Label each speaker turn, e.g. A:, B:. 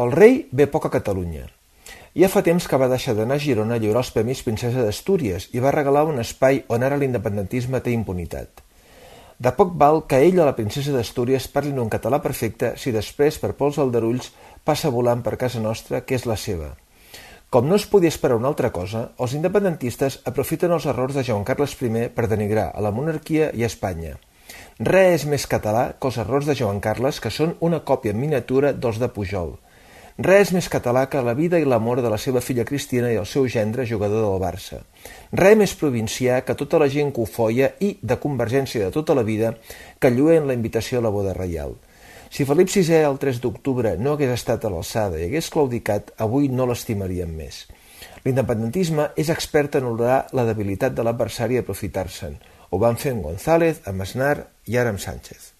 A: El rei ve poc a Catalunya. Ja fa temps que va deixar d'anar a Girona a lliurar els Premis Princesa d'Astúries i va regalar un espai on ara l'independentisme té impunitat. De poc val que ell o la princesa d'Astúries parlin un català perfecte si després, per pols aldarulls, passa volant per casa nostra, que és la seva. Com no es podia esperar una altra cosa, els independentistes aprofiten els errors de Joan Carles I per denigrar a la monarquia i a Espanya. Res és més català que els errors de Joan Carles, que són una còpia en miniatura dels de Pujol. Res més català que la vida i l'amor de la seva filla Cristina i el seu gendre jugador del Barça. Res més provincià que tota la gent que ho foia i de Convergència de tota la vida que lluen la invitació a la boda reial. Si Felip VI el 3 d'octubre no hagués estat a l'alçada i hagués claudicat, avui no l'estimaríem més. L'independentisme és expert en honorar la debilitat de l'adversari i aprofitar-se'n. Ho van fer amb González, amb Aznar i ara amb Sánchez.